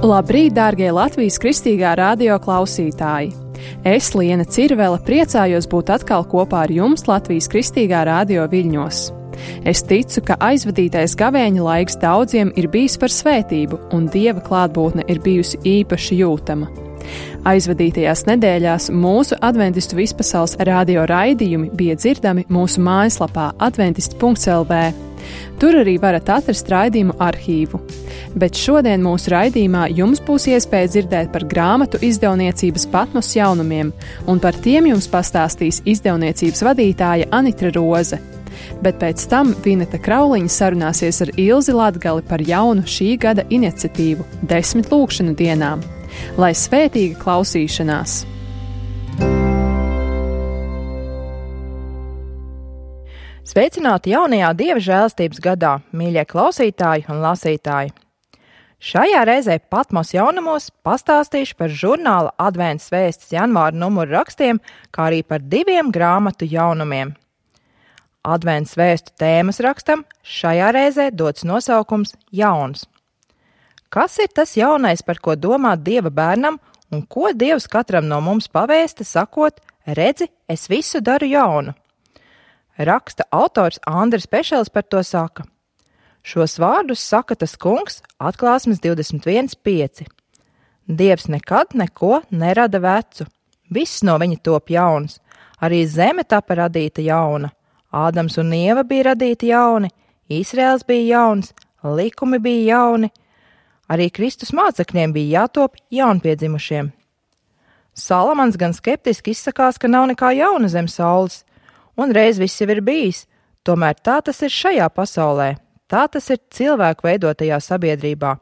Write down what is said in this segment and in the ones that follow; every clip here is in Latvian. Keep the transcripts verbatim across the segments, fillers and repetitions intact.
Labrīt, dārgie Latvijas kristīgā radio klausītāji! Es, Liena Cirvele, priecājos būt atkal kopā ar jums Latvijas kristīgā radio viļņos. Es ticu, ka aizvadītais gavēņa laiks daudziem ir bijis par svētību, un Dieva klātbūtne ir bijusi īpaši jūtama. Aizvadītajās nedēļās mūsu adventistu vispasaules radio raidījumi bija dzirdami mūsu mājaslapā adventisti punkts el vē. Tur arī varat atrast raidījumu arhīvu. Bet šodien mūsu raidījumā jums būs iespēja dzirdēt par grāmatu izdevniecības Patmos jaunumiem, un par tiem jums pastāstīs izdevniecības vadītāja Anitra Roze. Bet pēc tam Vineta Krauliņa sarunāsies ar Ilzi Latgali par jaunu šī gada iniciatīvu – desmit lūkšanu dienām. Lai svētīga klausīšanās! Sveicināti jaunajā Dieva žēlastības gadā, mīļie klausītāji un lasītāji! Šajā reizē Patmos jaunumos pastāstīšu par žurnāla Adventas vēstis janvāra numuru rakstiem, kā arī par diviem grāmatu jaunumiem. Adventas vēstu tēmas rakstam šajā reizē dots nosaukums Jauns. Kas ir tas jaunais, par ko domāt Dieva bērnam, un ko Dievs katram no mums pavēsta, sakot, redzi, es visu daru jaunu? Raksta autors Andris Pešels par to saka. Šos vārdus saka tas kungs Atklāsmes divdesmit viens pieci. Dievs nekad neko nerada vecu. Viss no viņa top jauns. Arī zeme tapa radīta jauna. Ādams un Ieva bija radīti jauni, Īsraels bija jauns, likumi bija jauni. Arī Kristus mācekļiem bija jātop jaunpiedzimušiem. Salamans gan skeptiski izsakās, ka nav nekā jauna zem saules, un reiz viss jau ir bijis, tomēr tā tas ir šajā pasaulē, tā tas ir cilvēku veidotajā sabiedrībā.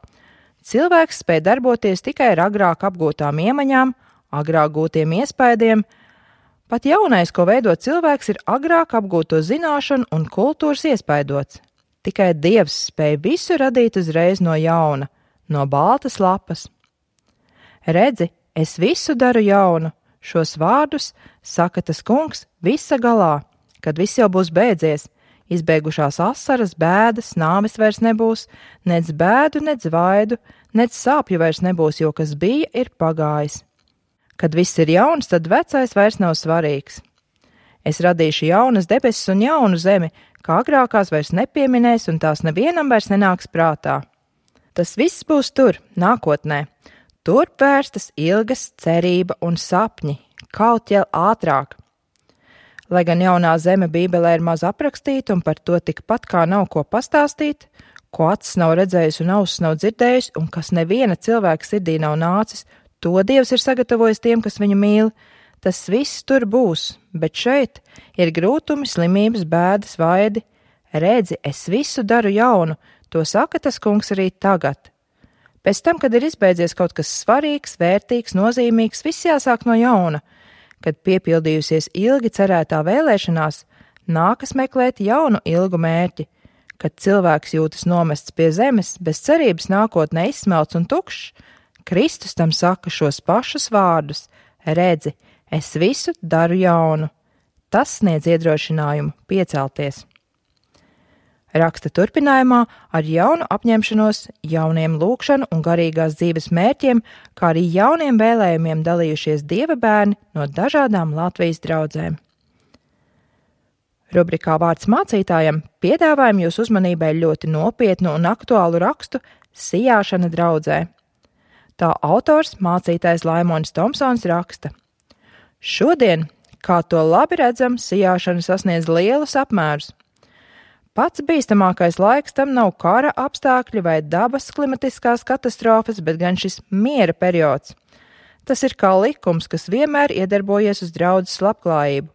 Cilvēks spēj darboties tikai ar agrāk apgūtām iemaņām, agrāk gūtiem iespaidiem. Pat jaunais, ko veido cilvēks, ir agrāk apgūto zināšanu un kultūras iespaidots. Tikai Dievs spēj visu radīt uzreiz no jauna, no baltas lapas. Redzi, es visu daru jaunu, šos vārdus saka tas kungs visa galā, kad viss jau būs beidzies, izbeigušās asaras, bēdas, nāves vairs nebūs, nec bēdu, nec vaidu, nec sāpju vairs nebūs, jo kas bija, ir pagājis. Kad viss ir jauns, tad vecais vairs nav svarīgs. Es radīšu jaunas debesis un jaunu zemi, kā agrākās vairs nepieminēs un tās nevienam vairs nenāks prātā. Tas viss būs tur, nākotnē. Tur vērstas ilgas cerība un sapņi, kaut jau ātrāk. Lai gan jaunā zeme Bībelē ir maz aprakstīta un par to tikpat kā nav ko pastāstīt, ko acis nav redzējis un ausis nav dzirdējis un kas neviena cilvēka sirdī nav nācis, to Dievs ir sagatavojis tiem, kas viņu mīl. Tas viss tur būs, bet šeit ir grūtumi, slimības, bēdas, vaidi. Redzi, es visu daru jaunu, to saka tas kungs arī tagad. Pēc tam, kad ir izbeidzies kaut kas svarīgs, vērtīgs, nozīmīgs, viss jāsāk no jauna. Kad piepildījusies ilgi cerētā vēlēšanās, nākas meklēt jaunu ilgu mērķi. Kad cilvēks jūtas nomests pie zemes, bez cerības nākotnē izsmelts un tukšs, Kristus tam saka šos pašus vārdus: redzi, es visu daru jaunu. Tas sniedz iedrošinājumu piecelties. Raksta turpinājumā ar jaunu apņemšanos, jauniem lūkšanu un garīgās dzīves mērķiem, kā arī jauniem vēlējumiem dalījušies Dieva bērni no dažādām Latvijas draudzēm. Rubrikā Vārds mācītājam piedāvājam jūs uzmanībai ļoti nopietnu un aktuālu rakstu Sijāšana draudzē. Tā autors mācītājs Laimonis Tomsons raksta. Šodien, kā to labi redzam, sijāšana sasniedz lielus apmērus. Pats bīstamākais laiks tam nav kara apstākļi vai dabas klimatiskās katastrofas, bet gan šis miera periods. Tas ir kā likums, kas vienmēr iedarbojies uz draudzes labklājību.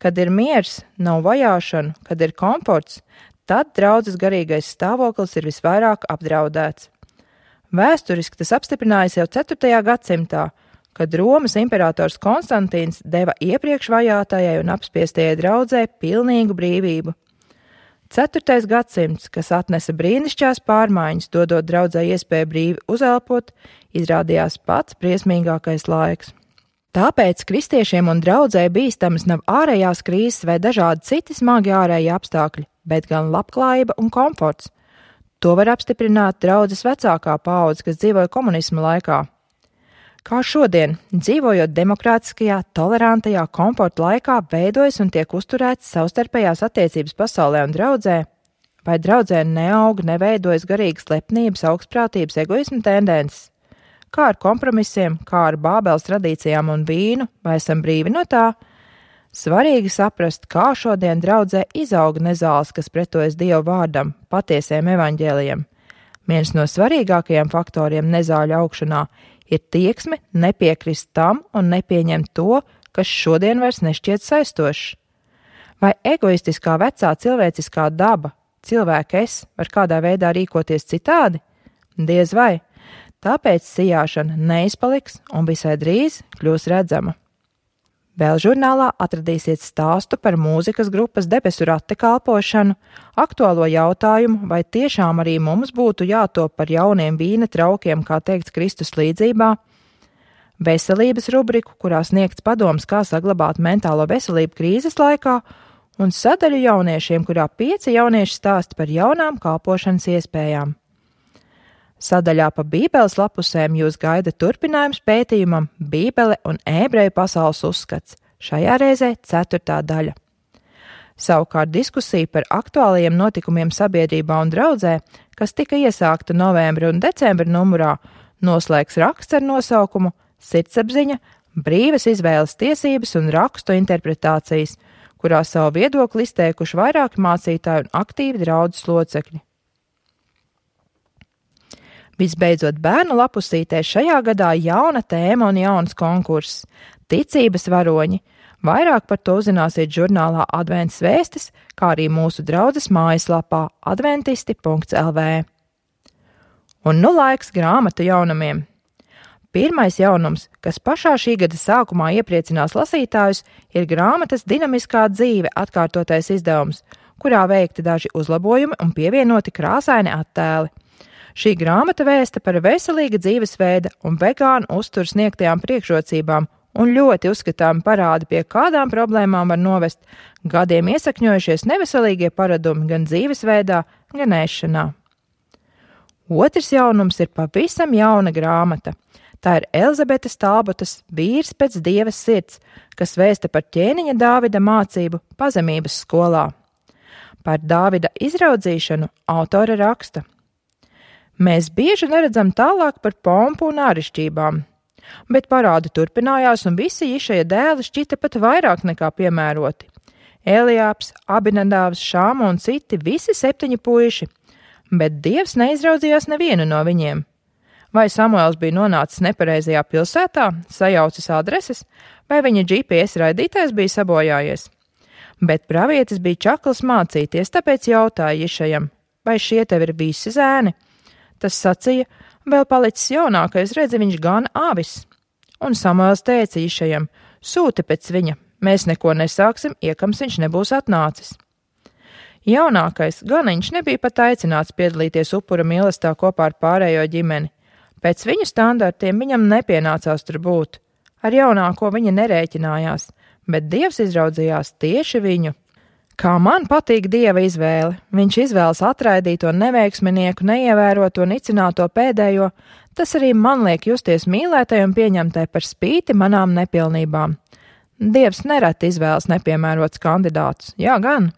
Kad ir miers, nav vajāšana, kad ir komforts, tad draudzes garīgais stāvoklis ir visvairāk apdraudēts. Vēsturiski tas apstiprinājās jau ceturtajā gadsimtā, kad Romas imperators Konstantīns deva iepriekš vajātajai un apspiestajai draudzē pilnīgu brīvību. Ceturtais gadsimts, kas atnesa brīnišķās pārmaiņas, dodot draudzē iespēju brīvi uzelpot, izrādījās pats briesmīgākais laiks. Tāpēc kristiešiem un draudzē bīstamas nav ārējās krīzes vai dažādi citi smagi ārēji apstākļi, bet gan labklājība un komforts. To var apstiprināt draudzes vecākā paudze, kas dzīvoja komunisma laikā. Kā šodien, dzīvojot demokrātiskajā, tolerantajā komforta laikā, veidojas un tiek uzturētas savstarpējās attiecības pasaulē un draudzē, vai draudzē neaug, neveidojas garīgas lepnības, augstprātības, egoisma tendences? Kā ar kompromisiem, kā ar Bābeles tradīcijām un vīnu, vai esam brīvi no tā? Svarīgi saprast, kā šodien draudzē izauga nezāles, kas pretojas Dievu vārdam, patiesiem evaņģēlijiem. Viens no svarīgākajiem faktoriem nezāļu augšanā ir tieksme nepiekrist tam un nepieņemt to, kas šodien vairs nešķiet saistošs. Vai egoistiskā vecā cilvēciskā daba, cilvēka es, var kādā veidā rīkoties citādi? Diez vai. Tāpēc sijāšana neizpaliks un visai drīz kļūs redzama. Vēl žurnālā atradīsiet stāstu par mūzikas grupas Debesu rate kalpošanu, aktuālo jautājumu, vai tiešām arī mums būtu jātop par jauniem vīna traukiem, kā teikts Kristus līdzībā, veselības rubriku, kurā sniegts padoms, kā saglabāt mentālo veselību krīzes laikā, un sadaļu jauniešiem, kurā pieci jaunieši stāsta par jaunām kalpošanas iespējām. Sadaļā pa Bībeles lapusēm jūs gaida turpinājums pētījumam Bībele un ebreju pasaules uzskats, šajā reizē ceturtā daļa. Savukārt diskusija par aktuālajiem notikumiem sabiedrībā un draudzē, kas tika iesākta novembra un decembra numurā, noslēgs raksts ar nosaukumu Sirdsapziņa, brīvas izvēles tiesības un rakstu interpretācijas, kurā savu viedokli izteikuši vairāki mācītāji un aktīvi draudzes locekļi. Visbeidzot, bērnu lapusītē šajā gadā jauna tēma un jauns konkurss – ticības varoņi. Vairāk par to uzzināsiet žurnālā Adventas vēstis, kā arī mūsu draudzes mājaslapā adventisti punkts el vē. Un nu laiks grāmatu jaunumiem. Pirmais jaunums, kas pašā šī gada sākumā iepriecinās lasītājus, ir grāmatas Dinamiskā dzīve atkārtotais izdevums, kurā veikti daži uzlabojumi un pievienoti krāsaini attēli. Šī grāmata vēsta par veselīga dzīvesveida un vegānu uzturu sniegtajām priekšrocībām un ļoti uzskatām parādi, pie kādām problēmām var novest gadiem iesakņojušies neveselīgie paradumi gan dzīvesveidā, gan ēšanā. Otrs jaunums ir pavisam jauna grāmata. Tā ir Elizabetes Talbotas Vīrs pēc Dieva sirds, kas vēsta par ķēniņa Dāvida mācību pazemības skolā. Par Dāvida izraudzīšanu autore raksta. Mēs bieži neredzam tālāk par pompu un āršķībām, bet parādi turpinājās un visi Išaja dēli šķita pat vairāk nekā piemēroti. Elijāps, Abinadāvs, Šāma un citi, visi septiņi puiši, bet Dievs neizraudzījās nevienu no viņiem. Vai Samuels bija nonācis nepareizajā pilsētā, sajaucis adreses, vai viņa G P S raidītājs bija sabojājies? Bet pravietis bija čakls mācīties, tāpēc jautāja Išajam, vai šie tev ir visi zēni? Tas sacīja, vēl palicis jaunākais, redzi, viņš gana avis. Un Samuels teica Išajam, sūti pēc viņa, mēs neko nesāksim, iekams viņš nebūs atnācis. Jaunākais ganiņš nebija pat aicināts piedalīties upura mīlestībā kopā ar pārējo ģimeni. Pēc viņu standartiem viņam nepienācās tur būt. Ar jaunāko viņa nerēķinājās, bet Dievs izraudzījās tieši viņu. Kā man patīk Dieva izvēle, viņš izvēlas atraidīto neveiksminieku, neievēroto, nicināto pēdējo, tas arī man liek justies mīlētai un pieņemtai par spīti manām nepilnībām. Dievs nereti izvēlas nepiemērots kandidātus, jā gan.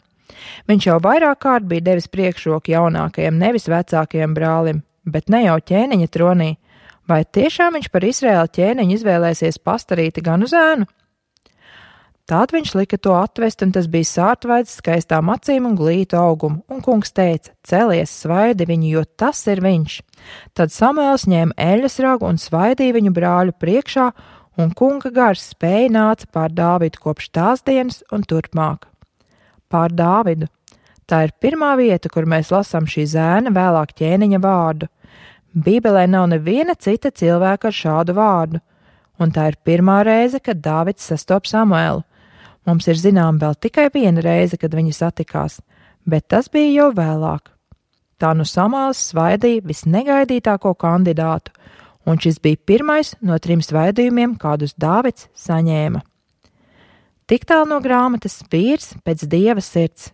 Viņš jau vairāk kārt bija devis priekšroku jaunākajam, nevis vecākajam brālim, bet ne jau ķēniņa tronī. Vai tiešām viņš par Izraēla ķēniņu izvēlēsies pastarīti gan uz ēnu? Tād viņš lika to atvest, un tas bija sārtvaids skaistām acīm un glītu augumu, un kungs teica, celies, svaidi viņu, jo tas ir viņš. Tad Samuels ņēma eļas ragu un svaidīja viņu brāļu priekšā, un kunga gars spēja nāca pār Dāvidu kopš tās dienas un turpmāk. Pār Dāvidu. Tā ir pirmā vieta, kur mēs lasām šī zēna vēlāk ķēniņa vārdu. Bībelē nav neviena cita cilvēka ar šādu vārdu, un tā ir pirmā reize, kad Dāvids sastop Samuelu. Mums ir zinām vēl tikai viena reize, kad viņi satikās, bet tas bija jau vēlāk. Tā nu Samuels svaidīja visnegaidītāko kandidātu, un šis bija pirmais no trim svaidījumiem, kādus Dāvids saņēma. Tik tālu no grāmatas Vīrs pēc Dieva sirds.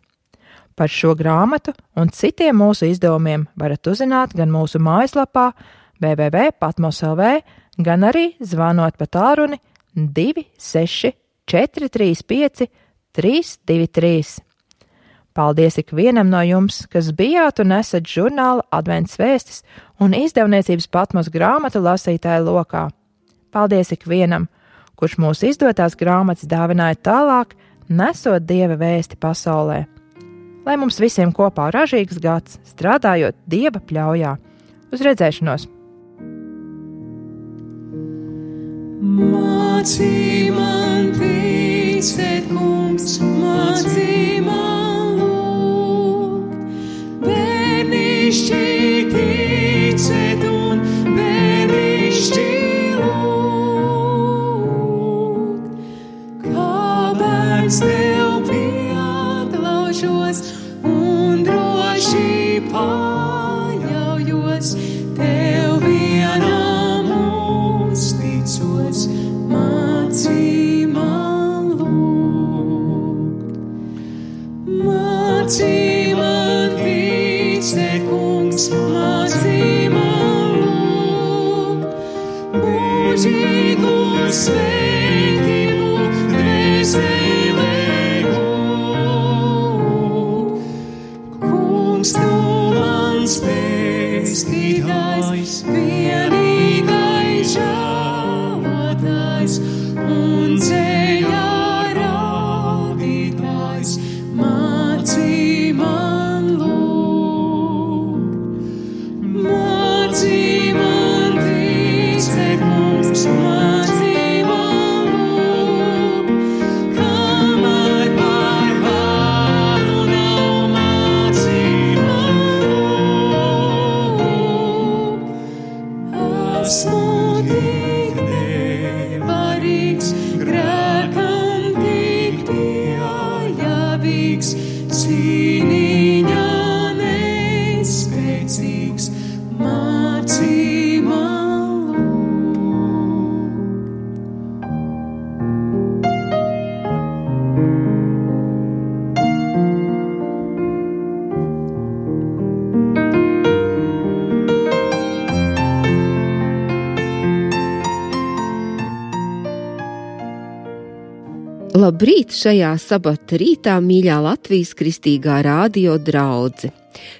Par šo grāmatu un citiem mūsu izdevumiem varat uzzināt gan mūsu mājaslapā w w w punkt patmos punkt l v, gan arī zvanot pa tālruni divi seši četri trīs pieci trīs divi trīs. Paldies ikvienam no jums, kas bijāt un esat žurnāla Advents vēstis un izdevniecības Patmos grāmatu lasītāju lokā. Paldies ikvienam, kurš mūsu izdotās grāmatas dāvināja tālāk, nesot Dieva vēsti pasaulē. Lai mums visiem kopā ražīgs gads, strādājot Dieva pļaujā. Uz redzēšanos! Mācī man ticēt, kungs, mācī man lūgt, bērnišķi ticēt un bērnišķi lūgt. Kā bērns tev pieatlaužos un droši paļaujos, tev vienam uzticos, mācī man lūgt. Mācī man ticēt, kungs, mācī man lūgt, mūžīgu svētību dvēselē gūt. Kungs, tu mans pestītājs, vienīgais žēlotājs un ceļā rādītājs, mācī man lūgt. Mācī man ticēt, kungs, mācī man lūgt, kamēr par vēlu nav, mācī man lūgt. Esmu tik nevarīgs, grēkam tik pieļāvīgs, cīniņā nespēcīgs, mācī man lūgt. Labrīt šajā sabata rītā, mīļā Latvijas kristīgā radio draudze!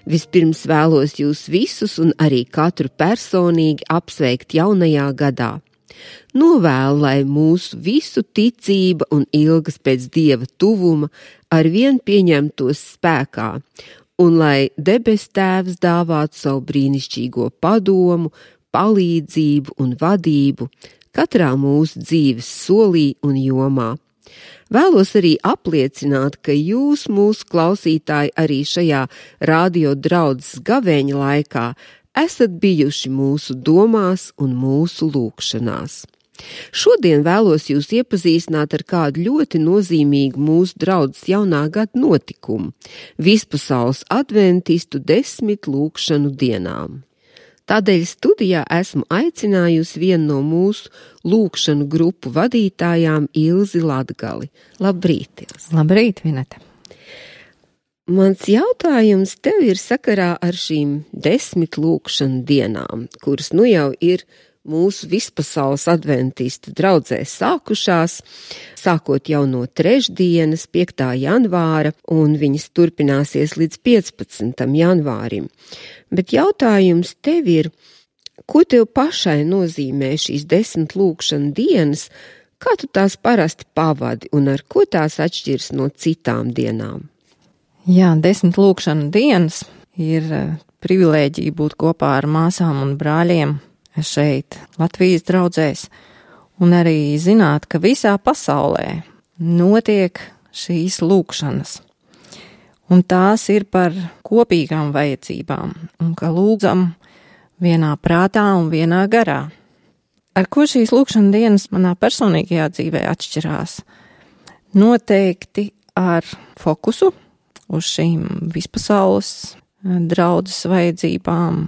Vispirms vēlos jūs visus un arī katru personīgi apsveikt jaunajā gadā. Novēlu, lai mūsu visu ticība un ilgas pēc Dieva tuvuma arvien pieņemtos spēkā, un lai debes Tēvs dāvātu savu brīnišķīgo padomu, palīdzību un vadību katrā mūsu dzīves solī un jomā. Vēlos arī apliecināt, ka jūs, mūsu klausītāji, arī šajā radio draudzes gavēņa laikā esat bijuši mūsu domās un mūsu lūgšanās. Šodien vēlos jūs iepazīstināt ar kādu ļoti nozīmīgu mūsu draudzes jaunā gada notikumu – Vispasaules adventistu desmit lūgšanu dienām. Tādēļ studijā esmu aicinājusi vienu no mūsu lūgšanu grupu vadītājām Ilzi Latgali. Labrīt, Ilzi! Labrīt, Vineta! Mans jautājums tev ir sakarā ar šīm desmit lūgšanu dienām, kuras nu jau ir mūsu Vispasaules adventistu draudzē sākušās, sākot jau no trešdienas, piektā janvāra, un viņas turpināsies līdz piecpadsmitam janvārim. Bet jautājums tev ir, ko tev pašai nozīmē šīs desmit lūgšanu dienas, kā tu tās parasti pavadi un ar ko tās atšķiras no citām dienām? Jā, desmit lūgšanu dienas ir privilēģija būt kopā ar māsām un brāļiem šeit Latvijas draudzēs un arī zināt, ka visā pasaulē notiek šīs lūgšanas. Un tās ir par kopīgām vajadzībām un ka lūdzam vienā prātā un vienā garā. Ar ko šīs lūgšana dienas manā personīgajā dzīvē atšķirās? Noteikti ar fokusu uz šīm vispasaules draudzes vajadzībām,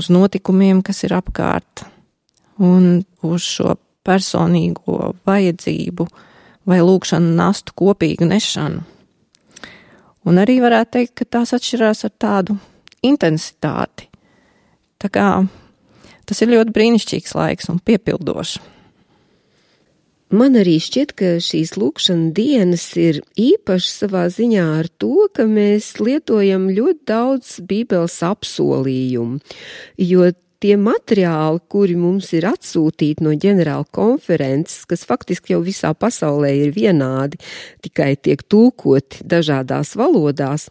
uz notikumiem, kas ir apkārt, un uz šo personīgo vajadzību vai lūgšanu nastu kopīgu nešanu. Un arī varētu teikt, ka tās atšķirās ar tādu intensitāti. Tā kā tas ir ļoti brīnišķīgs laiks un piepildošs. Man arī šķiet, ka šīs lūkšana dienas ir īpašas savā ziņā ar to, ka mēs lietojam ļoti daudz Bībeles apsolījumu, jo tie materiāli, kuri mums ir atsūtīti no ģenerāla konferences, kas faktiski jau visā pasaulē ir vienādi, tikai tiek tulkoti dažādās valodās,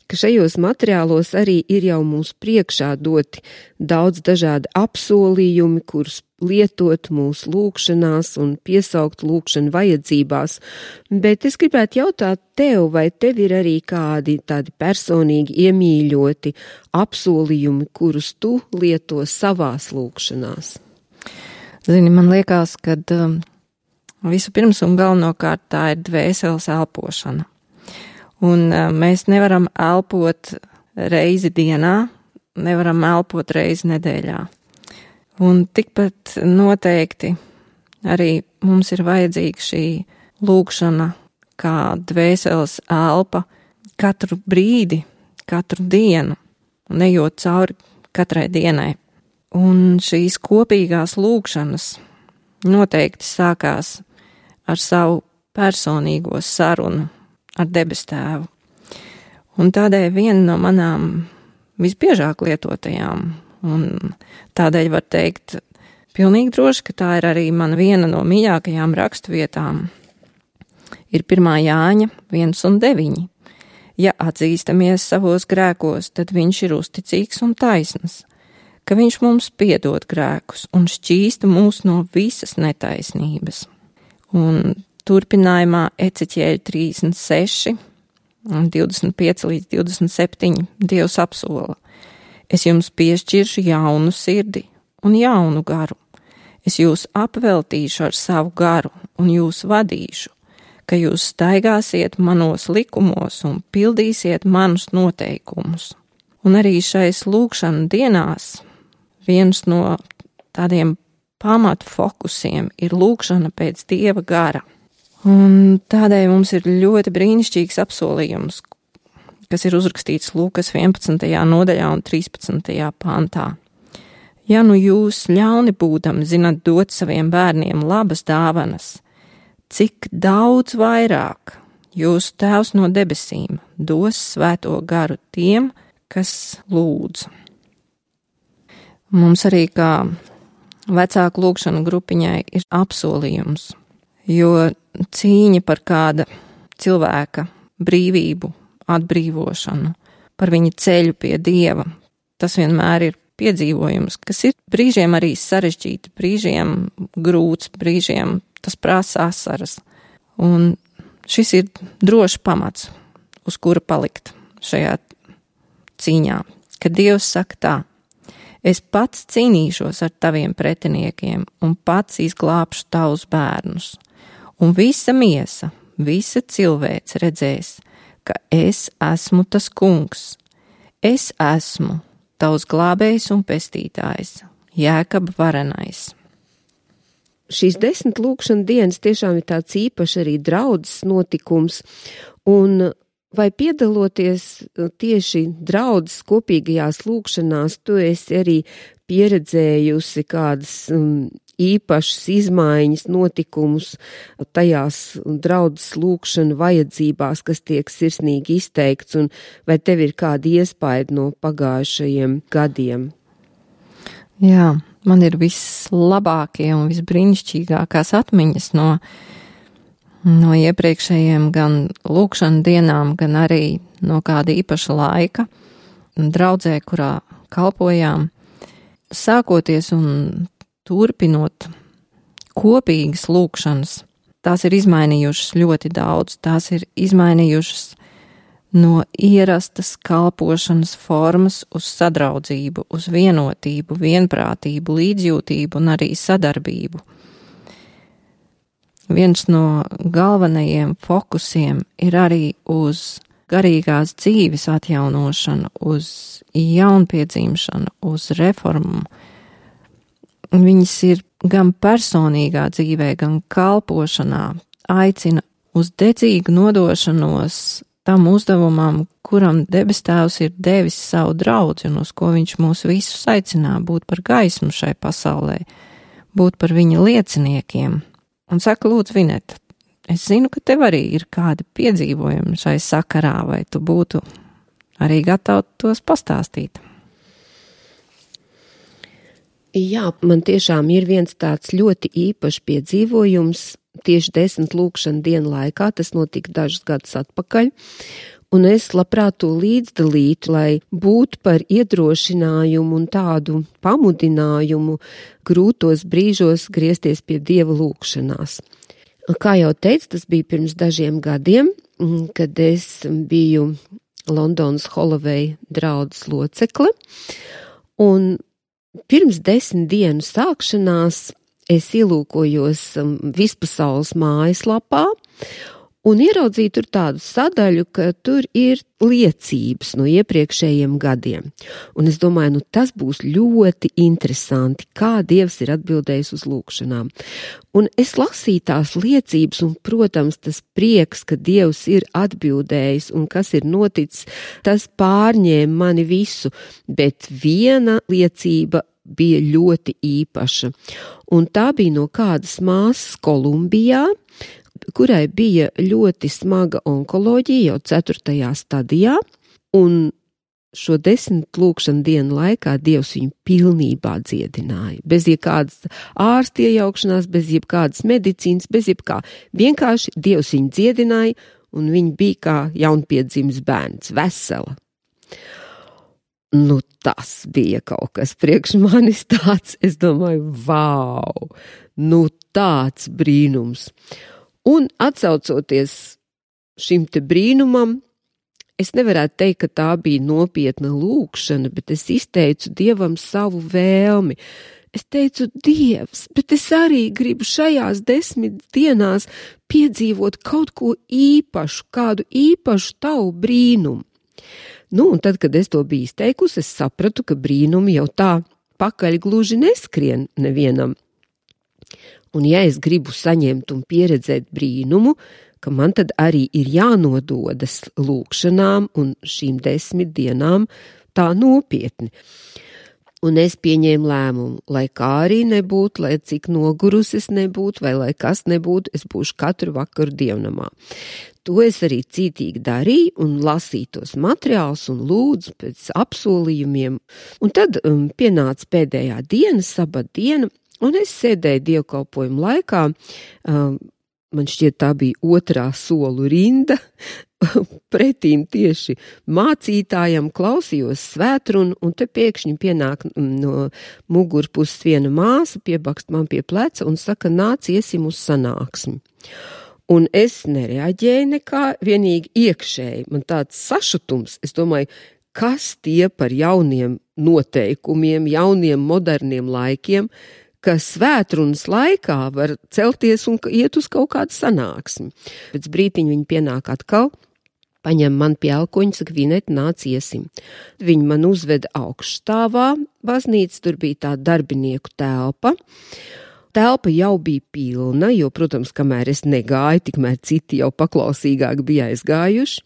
ka šajos materiālos arī ir jau mums priekšā doti daudz dažādi apsolījumi, kurus lietot mūsu lūkšanās un piesaukt lūkšanu vajadzībās. Bet es gribētu jautāt tev, vai tev ir arī kādi tādi personīgi iemīļoti apsolījumi, kurus tu lieto savās lūkšanās? Zini, man liekas, ka um, visu pirms un galvenokārt tā ir dvēseles elpošana. Un uh, mēs nevaram elpot reizi dienā, nevaram elpot reizi nedēļā. Un tikpat noteikti arī mums ir vajadzīga šī lūkšana kā dvēseles elpa katru brīdi, katru dienu, un ejot cauri katrai dienai. Un šīs kopīgās lūkšanas noteikti sākās ar savu personīgo sarunu ar debes tēvu. Un tādēļ viena no manām visbiežāk lietotajām, un tādēļ var teikt pilnīgi droši, ka tā ir arī mana viena no mīļākajām raksturvietām, ir pirmā Jāņa viens un deviņi. Ja atzīstamies savos grēkos, tad viņš ir uzticīgs un taisns, ka viņš mums piedod grēkus un šķīsta mūs no visas netaisnības. Un turpinājumā Eceķieļa trīsdesmit seši, divdesmit pieci līdz divdesmit septiņi Dievs apsola: es jums piešķiršu jaunu sirdi un jaunu garu. Es jūs apveltīšu ar savu garu un jūs vadīšu, ka jūs staigāsiet manos likumos un pildīsiet manus noteikumus. Un arī šais lūkšana dienās viens no tādiem pamatu fokusiem ir lūkšana pēc Dieva gara. Un tādēļ mums ir ļoti brīnišķīgs apsolījums, kas ir uzrakstīts Lūkas vienpadsmitajā nodaļā un trīspadsmitajā pantā. Ja nu jūs ļauni būdami zinat dot saviem bērniem labas dāvanas, cik daudz vairāk jūsu Tēvs no debesīm dos svēto garu tiem, kas lūdz. Mums arī kā vecāku lūkšanu grupiņai ir apsolījums, jo cīņa par kāda cilvēka brīvību, atbrīvošanu, par viņa ceļu pie Dieva, tas vienmēr ir piedzīvojums, kas ir brīžiem arī sarežģīti, brīžiem grūts, brīžiem tas prasa asaras. Un šis ir drošs pamats, uz kura palikt šajā cīņā, kad Dievs saka tā: es pats cīnīšos ar taviem pretiniekiem un pats izglābšu tavus bērnus. Un visa miesa, visa cilvēce redzēs, ka es esmu tas kungs. Es esmu tavs glābējs un pestītājs, Jēkaba varenais. Šīs desmit lūkšana dienas tiešām ir tāds īpašs arī draudzes notikums, un vai piedaloties tieši draudzes kopīgajās lūkšanās, tu esi arī pieredzējusi kādas um, īpašas izmaiņas, notikumus tajās draudzes lūkšanu vajadzībās, kas tiek sirsnīgi izteikts, un vai tev ir kādi iespaidi no pagājušajiem gadiem? Jā, man ir vislabākie un visbrīnišķīgākās atmiņas no, no iepriekšējiem gan lūkšanu dienām, gan arī no kāda īpaša laika draudzē, kurā kalpojām, sākoties un turpinot kopīgas lūkšanas. Tās ir izmainījušas ļoti daudz, tās ir izmainījušas no ierastas kalpošanas formas uz sadraudzību, uz vienotību, vienprātību, līdzjūtību un arī sadarbību. Viens no galvenajiem fokusiem ir arī uz garīgās dzīves atjaunošanu, uz jaunpiedzimšanu, uz reformu. Viņas ir gan personīgā dzīvē, gan kalpošanā, aicina uz dedzīgu nodošanos tam uzdevumam, kuram debes tēvs ir devis savu draudzi un uz ko viņš mūs visus aicinā būt par gaismu šai pasaulē, būt par viņa lieciniekiem. Un saka, lūdzu, Vineta, es zinu, ka tev arī ir kādi piedzīvojumi šai sakarā, vai tu būtu arī gatava tos pastāstīt? Jā, man tiešām ir viens tāds ļoti īpašs piedzīvojums tieši desmit lūkšanu dienu laikā, tas notika dažus gadus atpakaļ, un es labprāt to līdzdalītu, lai būtu par iedrošinājumu un tādu pamudinājumu grūtos brīžos griezties pie Dieva lūkšanās. Kā jau teicu, tas bija pirms dažiem gadiem, kad es biju Londonas Holloway draudzes locekle, un pirms desmit dienu sākšanās es ielūkojos vispasaules mājaslapā un ieraudzīju tur tādu sadaļu, ka tur ir liecības no iepriekšējiem gadiem. Un es domāju, nu tas būs ļoti interesanti, kā Dievs ir atbildējis uz lūkšanām. Un es lasīju tās liecības un, protams, tas prieks, ka Dievs ir atbildējis un kas ir noticis, tas pārņēma mani visu, bet viena liecība bija ļoti īpaša. Un tā bija no kādas māsas Kolumbijā, kurai bija ļoti smaga onkoloģija jau ceturtajā stadijā, un šo desmit lūkšanu dienu laikā Dievs viņu pilnībā dziedināja. Bez jebkādas ārsta iejaukšanās, bez jebkādas medicīnas, bez jebkā. Vienkārši Dievs viņu dziedināja, un viņa bija kā jaunpiedzimis bērns, vesela. Nu, tas bija kaut kas priekš manis tāds, es domāju, vau, nu tāds brīnums. Un atsaucoties šim te brīnumam, es nevarētu teikt, ka tā bija nopietna lūkšana, bet es izteicu Dievam savu vēlmi. Es teicu, Dievs, bet es arī gribu šajās desmit dienās piedzīvot kaut ko īpašu, kādu īpašu tavu brīnumu. Nu, un tad, kad es to biju izteikusi, es sapratu, ka brīnumi jau tā pakaļ gluži neskrien nevienam. Un ja es gribu saņemt un pieredzēt brīnumu, ka man tad arī ir jānododas lūkšanām un šīm desmit dienām tā nopietni. Un es pieņēmu lēmumu, lai kā arī nebūtu, lai cik nogurusi es nebūtu, vai lai kas nebūtu, es būšu katru vakaru dievnamā. To es arī cītīgi darīju un lasīju tos materiālus un lūdzu pēc apsolījumiem. Un tad um, pienāca pēdējā diena, sabata diena, un es sēdēju dievkalpojumu laikā, um, man šķiet tā bija otrā solu rinda, pretīm tieši mācītājam klausījos svētrunu, un te pēkšņi pienāk no mugurpuses viena māsa, piebakst man pie pleca un saka, nāc iesim uz sanāksmi. Un es nereaģēju nekā, vienīgi iekšēji, man tāds sašutums, es domāju, kas tie par jauniem noteikumiem, jauniem moderniem laikiem, ka svētrunas laikā var celties un iet uz kaut kādu sanāksmi. Pēc brītiņa viņi pienāk atkal, paņem man pie elkoņa, saka, Vineta, nāc iesim. Viņi man uzveda augšstāvā, baznīca, tur bija tā darbinieku telpa. Telpa jau bija pilna, jo, protams, kamēr es negāju, tikmēr citi jau paklausīgāk bija aizgājuši.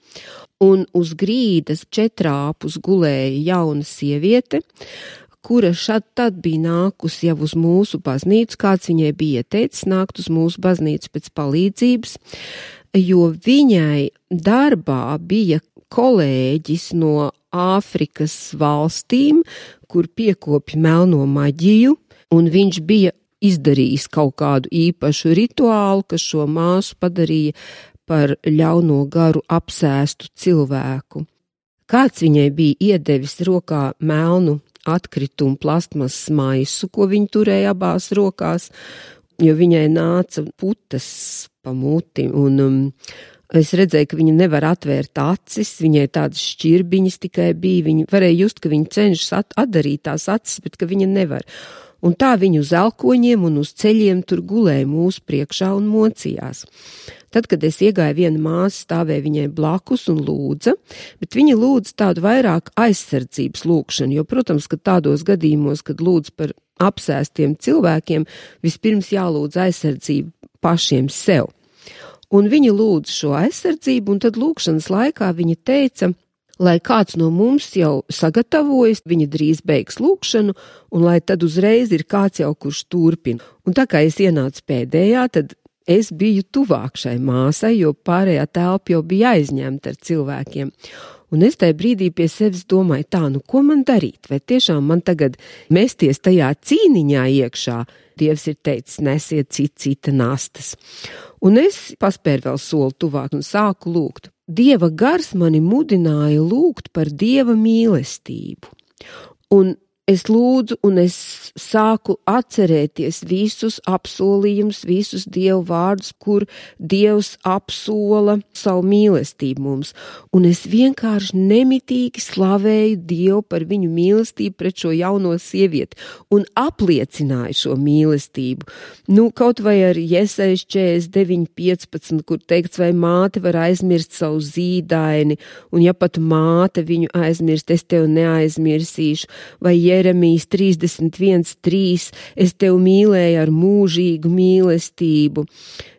Un uz grīdas četrāpus gulēja jauna sieviete, kura šad tad bija nākusi jau uz mūsu baznīcu, kāds viņai bija ieteicis nākt uz mūsu baznīcu pēc palīdzības, jo viņai darbā bija kolēģis no Āfrikas valstīm, kur piekopja melno maģiju, un viņš bija izdarījis kaut kādu īpašu rituālu, kas šo māsu padarīja par ļauno garu apsēstu cilvēku. Kāds viņai bija iedevis rokā melnu atkritumu plastmas maisu, ko viņa turēja abās rokās, jo viņai nāca putas pa muti, un um, es redzēju, ka viņa nevar atvērt acis, viņai tādas šķirbiņas tikai bija, viņa varēja just, ka viņa cenšas at- atdarīt tās acis, bet ka viņa nevar. Un tā viņa uz elkoņiem un uz ceļiem tur gulēja mūsu priekšā un mocījās. Tad, kad es iegāju, viena māsa stāvēja viņai blakus un lūdza, bet viņa lūdza tādu vairāk aizsardzības lūkšanu, jo, protams, ka tādos gadījumos, kad lūdz par apsēstiem cilvēkiem, vispirms jālūdz aizsardzību pašiem sev. Un viņa lūdza šo aizsardzību, un tad lūkšanas laikā viņa teica, lai kāds no mums jau sagatavojas, viņa drīz beigs lūkšanu, un lai tad uzreiz ir kāds jau, kurš turpina. Un tā kā es ienācu pēdējā, tad es biju tuvāk šai māsai, jo pārējā telpa jau bija aizņemta ar cilvēkiem. Un es tajā brīdī pie sevis domāju, tā, nu ko man darīt? Vai tiešām man tagad mesties tajā cīniņā iekšā? Dievs ir teicis, nesiet cita, cita nastas. Un es paspēru vēl soli tuvāk un sāku lūgt. Dieva gars mani mudināja lūgt par Dieva mīlestību. Un es lūdzu un es sāku atcerēties visus apsolījumus, visus Dievu vārdus, kur Dievs apsola savu mīlestību mums. Un es vienkārši nemitīgi slavēju Dievu par viņu mīlestību pret šo jauno sievieti un apliecināju šo mīlestību. Nu, kaut vai ar Jesajas četrdesmit deviņi piecpadsmit, kur teikts, vai māte var aizmirst savu zīdaini, un ja pat māte viņu aizmirst, es tev neaizmirsīšu, vai Jeremijas trīsdesmit viens trīs, es tev mīlēju ar mūžīgu mīlestību.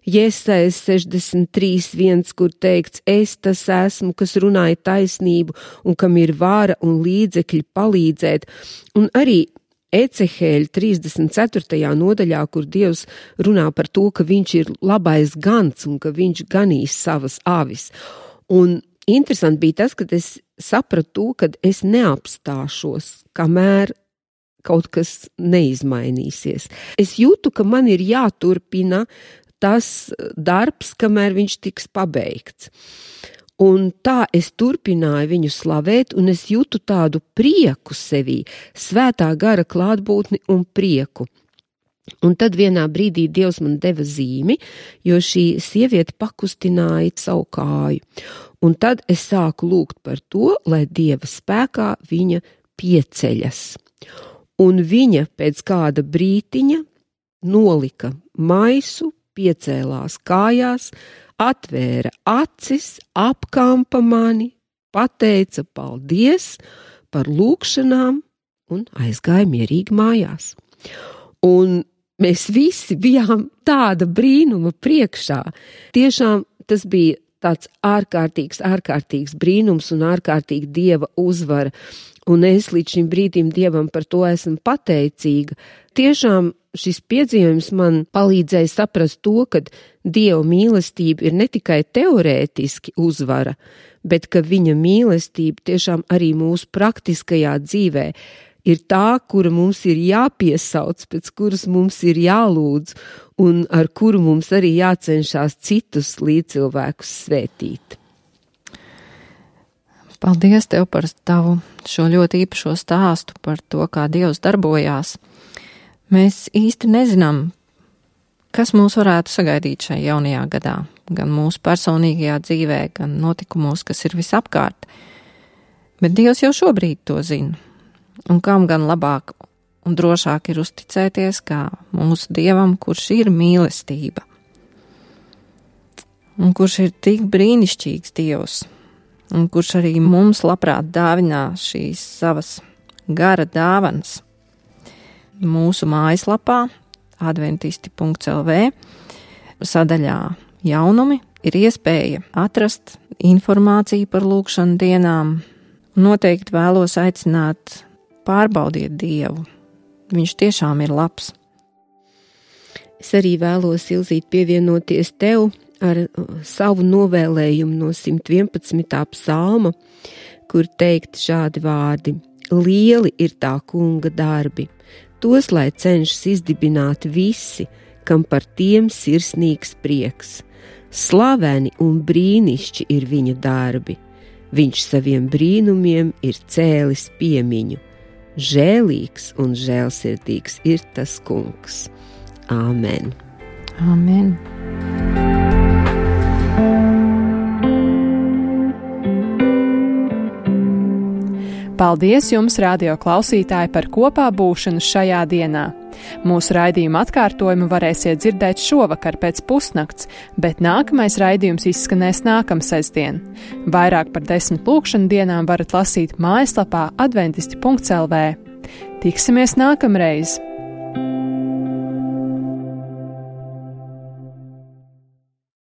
Jesajas sešdesmit trīs viens, kur teikts, es tas esmu, kas runāja taisnību un kam ir vara un līdzekļi palīdzēt. Un arī Ecehēļa trīsdesmit ceturtajā nodaļā, kur Dievs runā par to, ka viņš ir labais gans un ka viņš ganīs savas avis. Un interesanti bija tas, kad es sapratu, ka es neapstāšos, kamēr kaut kas neizmainīsies. Es jūtu, ka man ir jāturpina tas darbs, kamēr viņš tiks pabeigts. Un tā es turpināju viņu slavēt, un es jūtu tādu prieku sevī, svētā gara klātbūtni un prieku. Un tad vienā brīdī Dievs man deva zīmi, jo šī sieviete pakustināja savu kāju. Un tad es sāku lūgt par to, lai Dieva spēkā viņa pieceļas. Un viņa pēc kāda brītiņa nolika maisu, piecēlās kājās, atvēra acis, apkampa mani, pateica paldies par lūkšanām un aizgāja mierīgi mājās. Un mēs visi bijām tāda brīnuma priekšā. Tiešām tas bija tāds ārkārtīgs, ārkārtīgs brīnums un ārkārtīgi Dieva uzvara. Un es līdz šim brīdim Dievam par to esmu pateicīga. Tiešām šis piedzīvojums man palīdzēja saprast to, ka Dieva mīlestība ir ne tikai teorētiski uzvara, bet ka viņa mīlestība tiešām arī mūsu praktiskajā dzīvē ir tā, kura mums ir jāpiesauc, pēc kuras mums ir jālūdz un ar kuru mums arī jācenšās citus līdzcilvēkus svētīt. Paldies Tev par tavu šo ļoti īpašo stāstu par to, kā Dievs darbojās. Mēs īsti nezinām, kas mūs varētu sagaidīt šajā jaunajā gadā, gan mūsu personīgajā dzīvē, gan notikumos, kas ir visapkārt. Bet Dievs jau šobrīd to zina. Un kam gan labāk un drošāk ir uzticēties kā mūsu Dievam, kurš ir mīlestība. Un kurš ir tik brīnišķīgs Dievs. Un kurš arī mums labprāt dāvinā šīs savas gara dāvanas. Mūsu mājaslapā adventisti punkts el vē sadaļā jaunumi ir iespēja atrast informāciju par lūkšanu dienām. Noteikti vēlos aicināt pārbaudiet Dievu. Viņš tiešām ir labs. Es arī vēlos, Ilzīt, pievienoties tev ar savu novēlējumu no simt vienpadsmitā psalma, kur teikt šādi vārdi: lieli ir tā kunga darbi, tos lai cenšas izdibināt visi, kam par tiem sirsnīgs prieks. Slaveni un brīnišķi ir viņa darbi, viņš saviem brīnumiem ir cēlis piemiņu. Žēlīgs un žēlsirdīgs ir tas kungs. Āmen. Āmen. Paldies jums, radio klausītāji, par kopā būšanu šajā dienā. Mūsu raidījuma atkārtojumu varēsiet dzirdēt šovakar pēc pusnakts, bet nākamais raidījums izskanēs nākamsestdien. Vairāk par desmit lūkšanu dienām varat lasīt mājaslapā adventisti punkts el vē. Tiksimies nākamreiz!